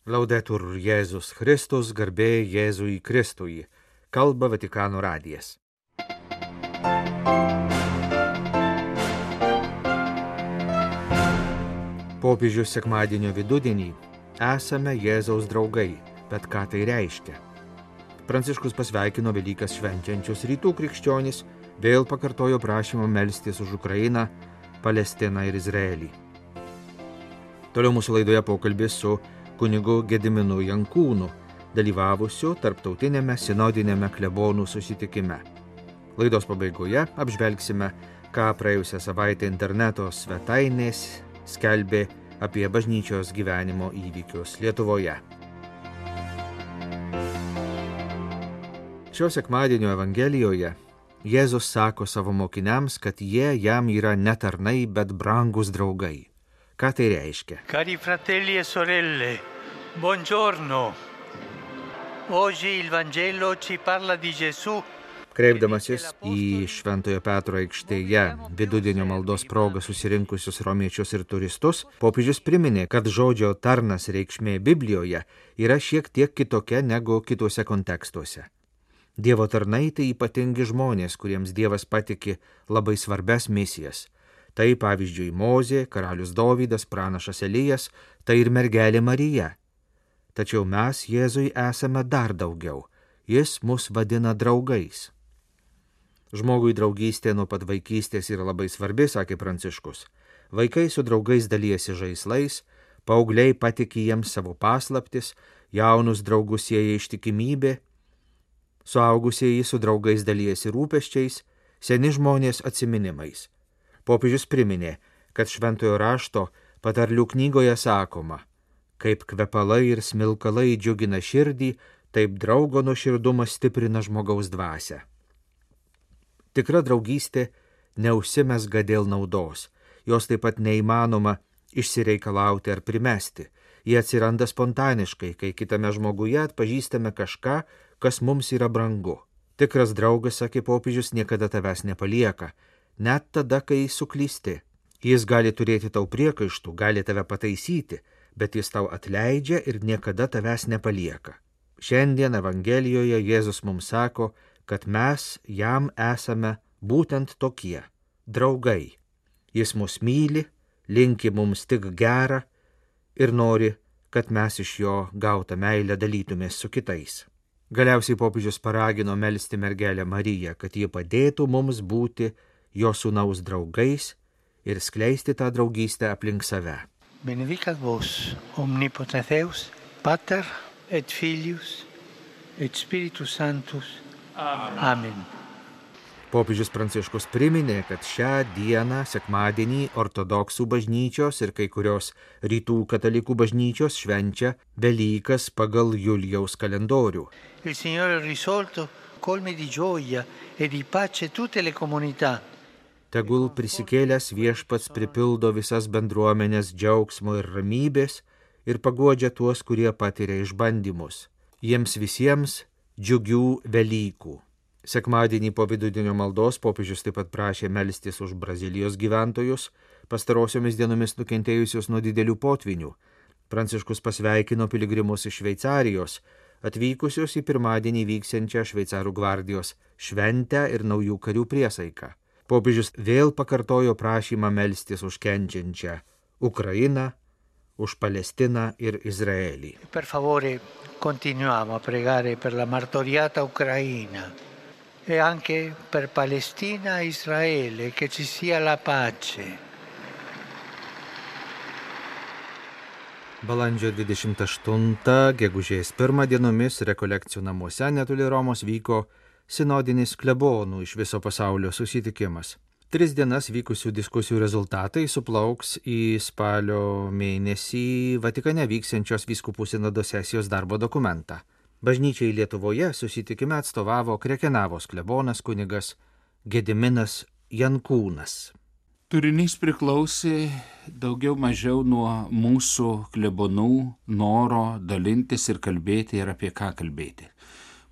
Laudetur Jėzus Kristus, garbė Jėzui Kristui, kalba Vatikano radijas. Popiežius sekmadienio vidudienį esame Jėzaus draugai, bet ką tai reiškia? Pranciškus pasveikino Velykas švenčiančius rytų krikščionys, vėl pakartojo prašymą melstis už Ukrainą, Palestiną ir Izraelį. Toliau mūsų laidoje pokalbis su kunigu Gediminu Jankūnu, dalyvavusiu tarptautinėme sinodinėme klebonų susitikime. Laidos pabaigoje apžvelgsime, ką praėjusią savaitę interneto svetainės skelbė apie bažnyčios gyvenimo įvykius Lietuvoje. Šio sekmadienio Evangelijoje Jėzus sako savo mokiniams, kad jie jam yra ne tarnai, bet brangus draugai. Ką tai reiškia? Cari fratelli e sorelle, buongiorno. Oggi il Vangelo ci parla di Gesù. Kreipdamasis į Šventojo Petro aikštėje vidudienio maldos progą susirinkusius romiečius ir turistus, popiežius priminė, kad žodžio tarnas reikšmė Biblijoje yra šiek tiek kitokia negu kituose kontekstuose. Dievo tarnai tai ypatingi žmonės, kuriems Dievas patiki labai svarbias misijas. Tai pavyzdžiui Mozė, karalius Dovydas, pranašas Elijas, tai ir mergelė Marija. Tačiau mes Jėzui esame dar daugiau. Jis mus vadina draugais. Žmogui draugystė nuo pat vaikystės yra labai svarbi, sakė Pranciškus. Vaikai su draugais dalijasi žaislais, paaugliai patiki jiems savo paslaptis, jaunus draugus sieja ištikimybė, suaugusieji su draugais dalijasi rūpesčiais, seni žmonės atsiminimais. Popiežius priminė, kad Šventojo rašto patarlių knygoje sakoma, kaip kvepalai ir smilkalai džiugina širdį, taip draugo nuoširdumas stiprina žmogaus dvasią. Tikra draugystė neužsimezga dėl naudos, jos taip pat neįmanoma išsireikalauti ar primesti. Jie atsiranda spontaniškai, kai kitame žmoguje atpažįstame kažką, kas mums yra brangu. Tikras draugas, sakė popiežius, niekada tavęs nepalieka, net tada, kai suklysti. Jis gali turėti tau priekaištų, gali tave pataisyti, bet jis tau atleidžia ir niekada tavęs nepalieka. Šiandien Evangelijoje Jėzus mums sako, kad mes jam esame būtent tokie – draugai. Jis mus myli, linki mums tik gerą ir nori, kad mes iš jo gautą meilę dalytumės su kitais. Galiausiai popiežius paragino melsti mergelę Mariją, kad ji padėtų mums būti jo sūnaus draugais ir skleisti tą draugystę aplink save. Benedicat vos, omnipotens Deus, Pater et Filius et Spiritus Sanctus. Amen. Popiežius Pranciškus priminė, kad šią dieną, sekmadienį, ortodoksų bažnyčios ir kai kurios rytų katalikų bažnyčios švenčia Velykas pagal Julijaus kalendorių. Il Signore risolto colmi di gioia e di pace tutte le comunità. Tegul prisikėlęs viešpats pripildo visas bendruomenės džiaugsmo ir ramybės ir paguodžia tuos, kurie patiria išbandymus. Jiems visiems džiugių Velykų. Sekmadienį po vidudienio maldos popiežius taip pat prašė melstis už Brazilijos gyventojus, pastarosiomis dienomis nukentėjusius nuo didelių potvinių. Pranciškus pasveikino piligrimus iš Šveicarijos, atvykusius į pirmadienį vyksiančią Šveicarų gvardijos šventę ir naujų karių priesaiką. Popiežius vėl pakartojo prašymą melstis už kenčiančią Ukrainą, už Palestiną ir Izraelį. Per favore, continuiamo a pregare per la martoriata Ucraina e anche per Palestina e Israele, che ci sia la pace. Balandžio 28, gegužės 1 dienomis rekolekcijų namuose netoli Romos vyko sinodinis klebonų iš viso pasaulio susitikimas. 3 dienas vykusių diskusijų rezultatai suplauks į spalio mėnesį Vatikane vyksiančios vyskupų sinodo sesijos darbo dokumentą. Bažnyčiai Lietuvoje susitikime atstovavo Krekenavos klebonas kunigas Gediminas Jankūnas. Turinys priklausė daugiau mažiau nuo mūsų klebonų noro dalintis ir kalbėti ir apie ką kalbėti.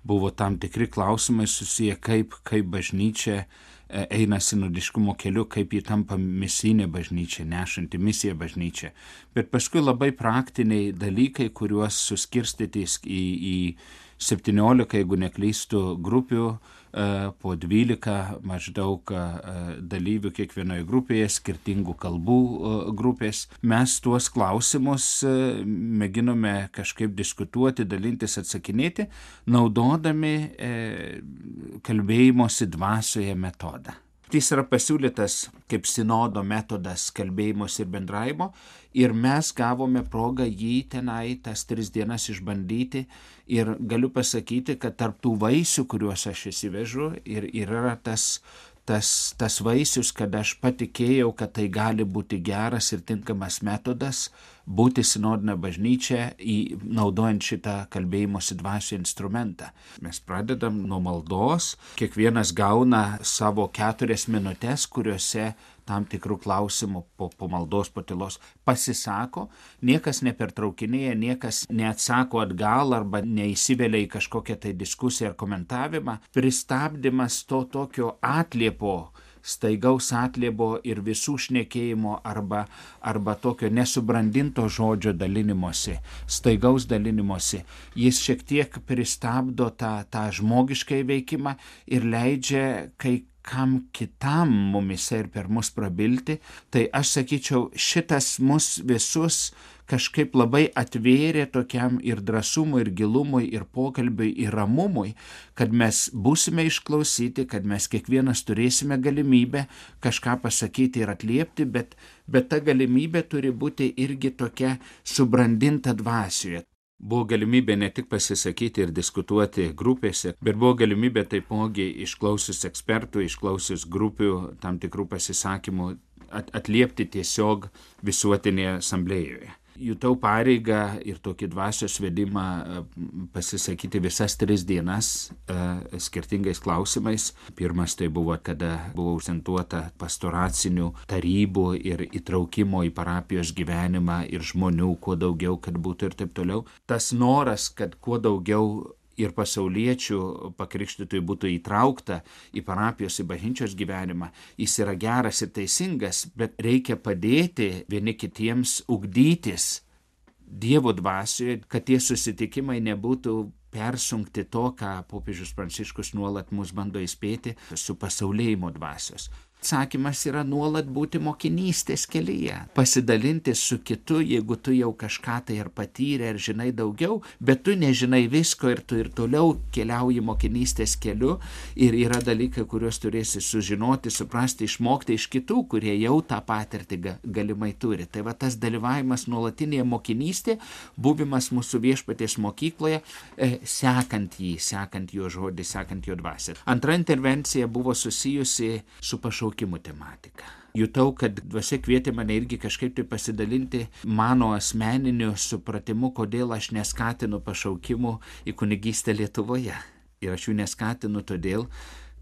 Buvo tam tikri klausimai susiję, kaip bažnyčia eina sinodiškumo keliu, kaip ji tampa misijinė bažnyčia, nešanti misiją bažnyčia. Bet paskui labai praktiniai dalykai, kuriuos suskirstyti į 17, jeigu neklystu, grupių, po 12 maždaug dalyvių kiekvienoje grupėje, skirtingų kalbų grupės. Mes tuos klausimus mėginome kažkaip diskutuoti, dalintis, atsakinėti, naudodami kalbėjimosi dvasioje metodą. Jis yra pasiūlytas kaip sinodo metodas kalbėjimos ir bendravimo ir mes gavome progą jį tenai tas 3 dienas išbandyti ir galiu pasakyti, kad tarp tų vaisių, kuriuos aš įsivežu, ir yra tas vaisius, kad aš patikėjau, kad tai gali būti geras ir tinkamas metodas būti sinodinė bažnyčia naudojant šitą kalbėjimosi dvasią instrumentą. Mes pradedam nuo maldos, kiekvienas gauna savo 4 minutės, kuriuose tam tikrų klausimų po maldos, po tylos pasisako, niekas nepertraukinėja, niekas neatsako atgal arba neįsivelia į kažkokią tai diskusiją ar komentavimą. Pristabdymas to tokio atliepo, staigaus atliepo ir visų šnekėjimo arba tokio nesubrandinto žodžio dalinimosi, staigaus dalinimosi. Jis šiek tiek pristabdo tą žmogišką veikimą ir leidžia kam kitam mumise ir per mus prabilti. Tai aš sakyčiau, šitas mus visus kažkaip labai atvėrė tokiam ir drąsumui, ir gilumui, ir pokalbiui, ir ramumui, kad mes būsime išklausyti, kad mes kiekvienas turėsime galimybę kažką pasakyti ir atliepti, bet ta galimybė turi būti irgi tokia subrandinta dvasioje. Buvo galimybė ne tik pasisakyti ir diskutuoti grupėse, bet buvo galimybė taipogi išklausius ekspertų, išklausius grupių tam tikrų pasisakymų atliepti tiesiog visuotinėje asamblėjoje. Jutau pareigą ir tokį dvasios vedimą pasisakyti visas 3 dienas skirtingais klausimais. Pirmas tai buvo, kada buvo užsentuota pastoracinių tarybų ir įtraukimo į parapijos gyvenimą ir žmonių kuo daugiau, kad būtų ir taip toliau. Tas noras, kad kuo daugiau ir pasauliečių pakrikštytųjų būtų įtraukta į parapijos, į bažnyčios gyvenimą, jis yra geras ir teisingas, bet reikia padėti vieni kitiems ugdytis Dievo dvasioje, kad tie susitikimai nebūtų persunkti to, ką popiežius Pranciškus nuolat mus bando įspėti, su pasaulėjimo dvasios. Atsakymas yra nuolat būti mokinystės kelyje, pasidalinti su kitu, jeigu tu jau kažką tai ar patyrė, ar žinai daugiau, bet tu nežinai visko ir tu ir toliau keliauji mokinystės keliu ir yra dalykai, kuriuos turėsi sužinoti, suprasti, išmokti iš kitų, kurie jau tą patirtį galimai turi. Tai va tas dalyvavimas nuolatinėje mokinystėje, buvimas mūsų Viešpaties mokykloje, sekant jį, sekant jo žodį, sekant jo dvasią. Antra intervencija buvo susijusi su pašaukimų tematika. Jutau, kad dvasia kvietė mane irgi kažkaip tai pasidalinti mano asmeniniu supratimu, kodėl aš neskatinu pašaukimų į kunigystę Lietuvoje. Ir aš jų neskatinu todėl,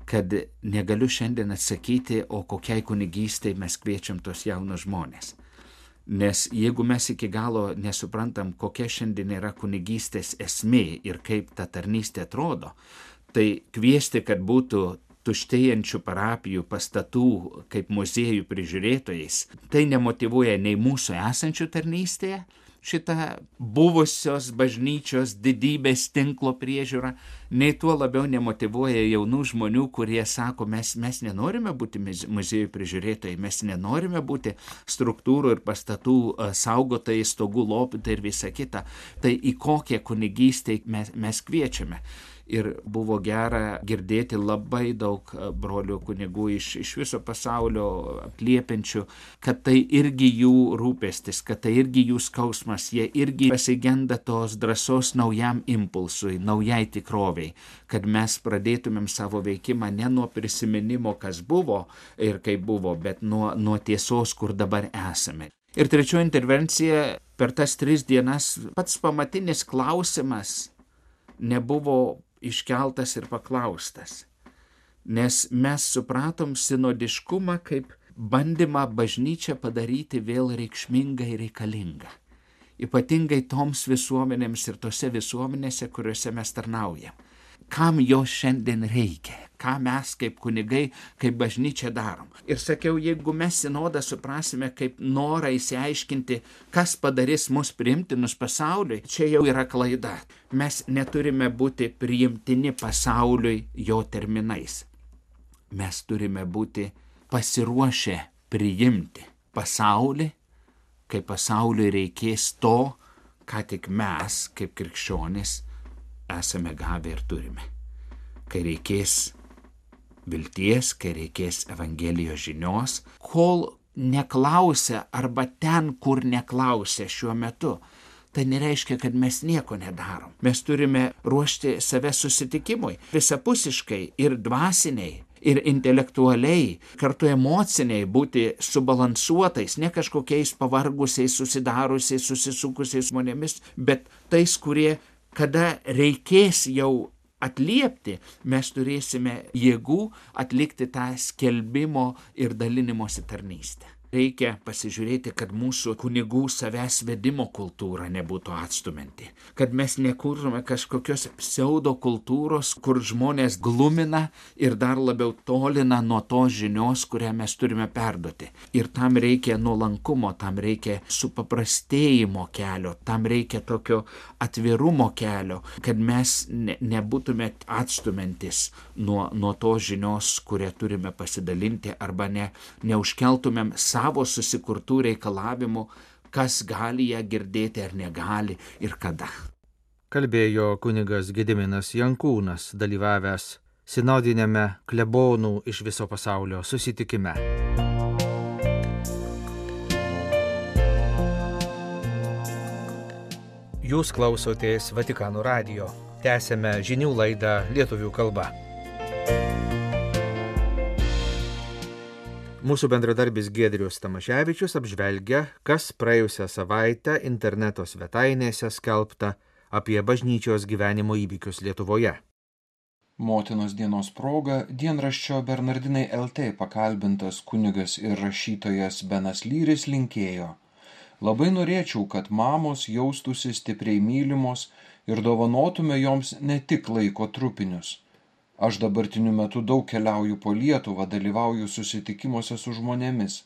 kad negaliu šiandien atsakyti, o kokiai kunigystei mes kviečiam tos jaunus žmonės. Nes jeigu mes iki galo nesuprantam, kokia šiandien yra kunigystės esmė ir kaip ta tarnystė atrodo, tai kviesti, kad būtų tuštėjančių parapijų pastatų kaip muziejų prižiūrėtojais, tai nemotyvuoja nei mūsų esančių tarnystėje, šitą buvusios bažnyčios didybės tinklo priežiūrą, nei tuo labiau nemotyvuoja jaunų žmonių, kurie sako, mes nenorime būti muziejų prižiūrėtojai, mes nenorime būti struktūrų ir pastatų saugotojai, stogų lopytojai ir visa kita. Tai į kokią kunigystę mes kviečiame. Ir buvo gera girdėti labai daug brolių kunigų iš viso pasaulio atliepiančių, kad tai irgi jų rūpestis, kad tai irgi jų skausmas, jie irgi pasigenda tos drąsos naujam impulsui, naujai tikroviai, kad mes pradėtumėm savo veikimą ne nuo prisiminimo, kas buvo ir kaip buvo, bet nuo tiesos, kur dabar esame. Ir trečioji intervencija per tas 3 dienas, pats pamatinis klausimas nebuvo iškeltas ir paklaustas, nes mes supratom sinodiškumą kaip bandymą bažnyčią padaryti vėl reikšmingą ir reikalingą, ypatingai toms visuomenėms ir tose visuomenėse, kuriuose mes tarnaujam. kam jo šiandien reikia, ką mes kaip kunigai, kaip bažnyčia darom. Ir sakiau, jeigu mes sinodą suprasime kaip norą įsiaiškinti, kas padarys mus priimtinus pasauliui, čia jau yra klaida. Mes neturime būti priimtini pasauliui jo terminais. Mes turime būti pasiruošę priimti pasaulį, kai pasauliui reikės to, ką tik mes, kaip krikščionys, esame gavę ir turime. Kai reikės vilties, kai reikės Evangelijos žinios, kol neklausia arba ten, kur neklausia šiuo metu, tai nereiškia, kad mes nieko nedarom. Mes turime ruošti save susitikimui visapusiškai ir dvasiniai, ir intelektualiai, kartu emociniai būti subalansuotais, ne kažkokiais pavargusiais, susidarusiais, susisukusiais žmonėmis, bet tais, kurie, kada reikės jau atliepti, mes turėsime jėgų atlikti tą skelbimo ir dalinimosi tarnystę. Reikia pasižiūrėti, kad mūsų kunigų savęs vedimo kultūra nebūtų atstumianti, kad mes nekurtume kažkokios pseudo kultūros, kur žmonės glumina ir dar labiau tolina nuo tos žinios, kurią mes turime perduoti. Ir tam reikia nuolankumo, tam reikia supaprastėjimo kelio, tam reikia tokio atvirumo kelio, kad mes nebūtume atstumiantis nuo tos žinios, kurią turime pasidalinti, arba neužkeltumėm savo susikurtų reikalavimų, kas gali ją girdėti ar negali ir kada. Kalbėjo kunigas Gediminas Jankūnas, dalyvavęs sinodinėme klebonų iš viso pasaulio susitikime. Jūs klausotės Vatikano radijo. Tęsėme žinių laidą lietuvių kalba. Mūsų bendradarbis Giedrius Tamaševičius apžvelgia, kas praėjusią savaitę interneto svetainėse skelbta apie bažnyčios gyvenimo įvykius Lietuvoje. Motinos dienos proga dienraščio Bernardinai LT pakalbintas kunigas ir rašytojas Benas Lyris linkėjo: labai norėčiau, kad mamos jaustųsi stipriai mylimos ir dovanotume joms ne tik laiko trupinius. Aš dabartiniu metu daug keliauju po Lietuvą, dalyvauju susitikimuose su žmonėmis.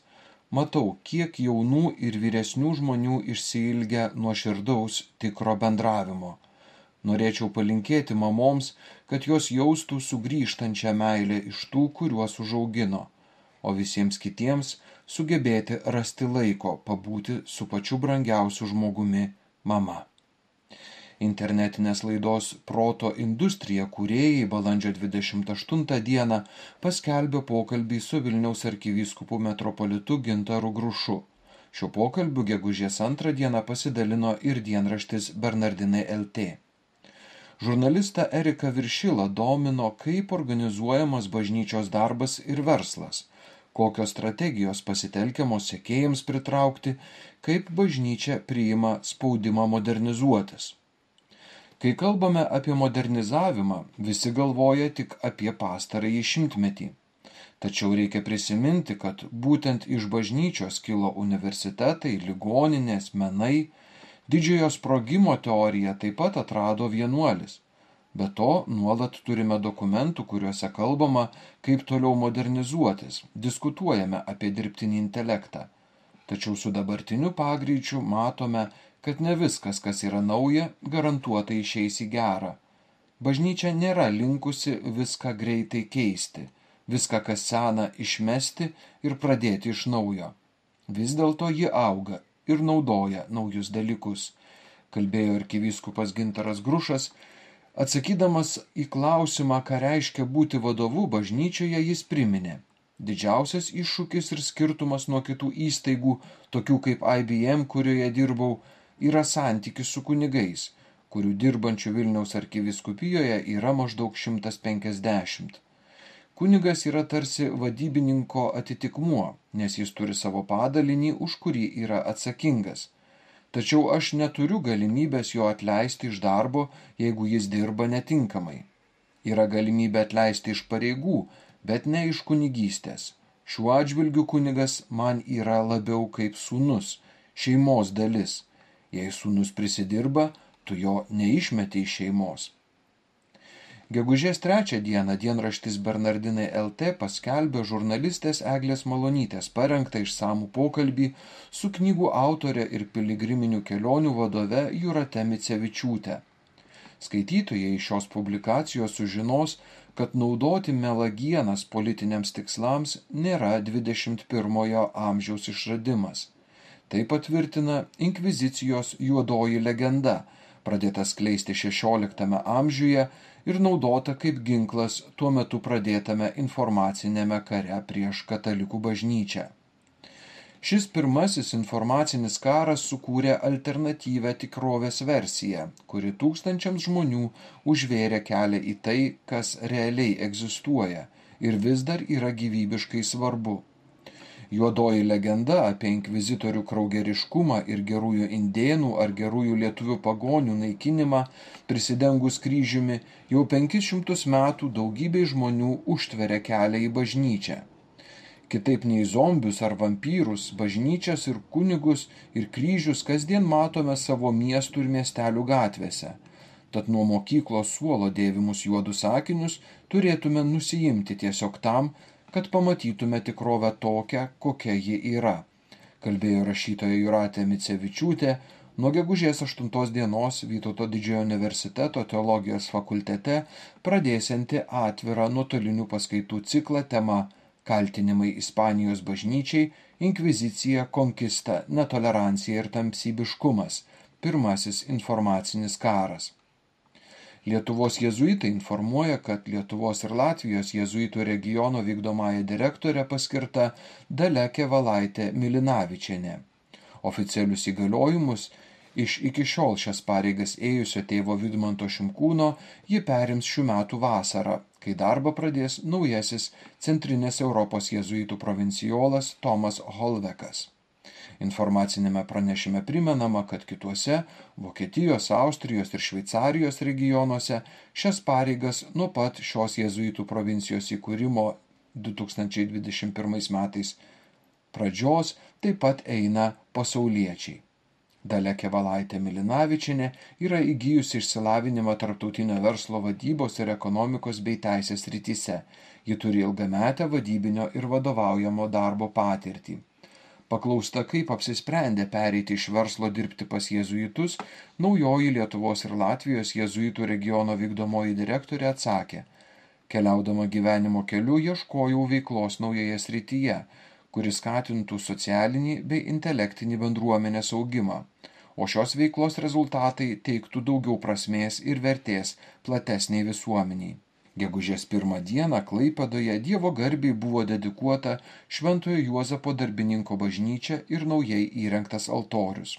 Matau, kiek jaunų ir vyresnių žmonių išsiilgia nuoširdaus tikro bendravimo. Norėčiau palinkėti mamoms, kad jos jaustų sugrįžtančią meilę iš tų, kuriuos užaugino, o visiems kitiems sugebėti rasti laiko pabūti su pačiu brangiausiu žmogumi – mama. Internetinės laidos Proto industrija kūrėjai balandžio 28 dieną paskelbė pokalbį su Vilniaus arkivyskupu metropolitu Gintaru Grušu. Šiuo pokalbiu gegužės 2 dieną pasidalino ir dienraštis Bernardinai LT. Žurnalistą Eriką Viršilą domino, kaip organizuojamas bažnyčios darbas ir verslas, kokios strategijos pasitelkiamos sekėjams pritraukti, kaip bažnyčia priima spaudimą modernizuotis. Kai kalbame apie modernizavimą, visi galvoja tik apie pastarąjį šimtmetį. Tačiau reikia prisiminti, kad būtent iš bažnyčios kilo universitetai, ligoninės, menai. Didžiojo sprogimo teoriją taip pat atrado vienuolis. Be to, nuolat turime dokumentų, kuriuose kalbama, kaip toliau modernizuotis, diskutuojame apie dirbtinį intelektą. Tačiau su dabartiniu pagreičiu matome, kad ne viskas, kas yra nauja, garantuotai išeis į gerą. Bažnyčia nėra linkusi viską greitai keisti, viską, kas sena, išmesti ir pradėti iš naujo. Vis dėlto ji auga ir naudoja naujus dalykus, kalbėjo arkivyskupas Gintaras Grušas. Atsakydamas į klausimą, ką reiškia būti vadovu bažnyčioje, jis priminė: didžiausias iššūkis ir skirtumas nuo kitų įstaigų, tokių kaip IBM, kurioje dirbau, yra santykis su kunigais, kurių dirbančių Vilniaus arkivyskupijoje yra maždaug 150. Kunigas yra tarsi vadybininko atitikmuo, nes jis turi savo padalinį, už kurį yra atsakingas. Tačiau aš neturiu galimybės jo atleisti iš darbo, jeigu jis dirba netinkamai. Yra galimybė atleisti iš pareigų, bet ne iš kunigystės. Šiuo atžvilgiu kunigas man yra labiau kaip sūnus, šeimos dalis. Jei sūnus prisidirba, tu jo neišmeti iš šeimos. Gegužės 3 dieną dienraštis Bernardinai LT paskelbė žurnalistės Eglės Malonytės parengtą išsamų pokalbį su knygų autorė ir piligriminių kelionių vadove Jūrate Micevičiūte. Skaitytojai iš šios publikacijos sužinos, kad naudoti melagienas politiniams tikslams nėra 21 amžiaus išradimas. Tai patvirtina inkvizicijos juodoji legenda, pradėta skleisti 16 amžiuje ir naudota kaip ginklas tuo metu pradėtame informacinėme kare prieš katalikų bažnyčią. Šis pirmasis informacinis karas sukūrė alternatyvę tikrovės versiją, kuri tūkstančiams žmonių užvėrė kelią į tai, kas realiai egzistuoja ir vis dar yra gyvybiškai svarbu. Juodoji legenda apie inkvizitorių kraugeriškumą ir gerųjų indėnų ar gerųjų lietuvių pagonių naikinimą prisidengus kryžiumi jau 500 metų daugybei žmonių užtveria kelią į bažnyčią. Kitaip nei zombius ar vampyrus, bažnyčias ir kunigus ir kryžius kasdien matome savo miestų ir miestelių gatvėse. Tad nuo mokyklos suolo dėvimus juodus akinius turėtume nusiimti tiesiog tam, kad pamatytume tikrovę tokią, kokia ji yra, kalbėjo rašytoja Jūratė Micevičiūtė nuo gegužės 8 dienos Vytauto didžiojo universiteto teologijos fakultete pradėsianti atvirą nuotolinių paskaitų ciklą tema Kaltinimai Ispanijos bažnyčiai, inkvizicija, konkista, netolerancija ir tamsybiškumas. Pirmasis informacinis karas. Lietuvos jėzuitai informuoja, kad Lietuvos ir Latvijos jėzuitų regiono vykdomąja direktorė paskirta Dalia Kevalaitė Milinavičienė. Oficialius įgaliojimus iš iki šiol šias pareigas ėjusio tėvo Vidmanto Šimkūno ji perims šių metų vasarą, kai darbą pradės naujasis Centrinės Europos jėzuitų provincijolas Tomas Holvekas. Informacinėme pranešime primenama, kad kituose Vokietijos, Austrijos ir Šveicarijos regionuose šias pareigas nuo pat šios jėzuitų provincijos įkūrimo 2021 metais pradžios taip pat eina pasauliečiai. Dalia Kevalaitė Milinavičienė yra įgijusi išsilavinimą tarptautinio verslo vadybos ir ekonomikos bei teisės srityse. Ji turi ilgametę vadybinio ir vadovaujamo darbo patirtį. Paklausta, kaip apsisprendė pereiti iš verslo dirbti pas jėzuitus, naujoji Lietuvos ir Latvijos jėzuitų regiono vykdomoji direktorė atsakė: keliaudama gyvenimo keliu ieškojau veiklos naujoje srityje, kuris skatintų socialinį bei intelektinį bendruomenės augimą, o šios veiklos rezultatai teiktų daugiau prasmės ir vertės platesniai visuomeniai. Gegužės 1 dieną Klaipėdoje Dievo garbei buvo dedikuota Šventojo Juozapo darbininko bažnyčia ir naujai įrengtas altorius.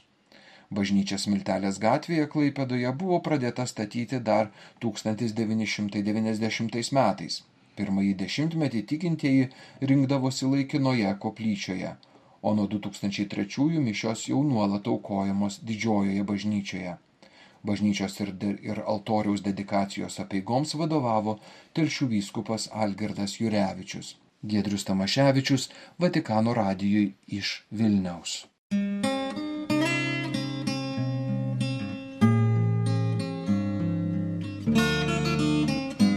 Bažnyčia Smiltelės gatvėje Klaipėdoje buvo pradėta statyti dar 1990 metais. Pirmąjį dešimtmetį tikintieji rinkdavosi laikinoje koplyčioje, o nuo 2003 mišios jau nuolat aukojamos didžiojoje bažnyčioje. Bažnyčios ir altoriaus dedikacijos apeigoms vadovavo Telšių vyskupas Algirdas Jurevičius. Giedrius Tamaševičius, Vatikano radijui iš Vilniaus.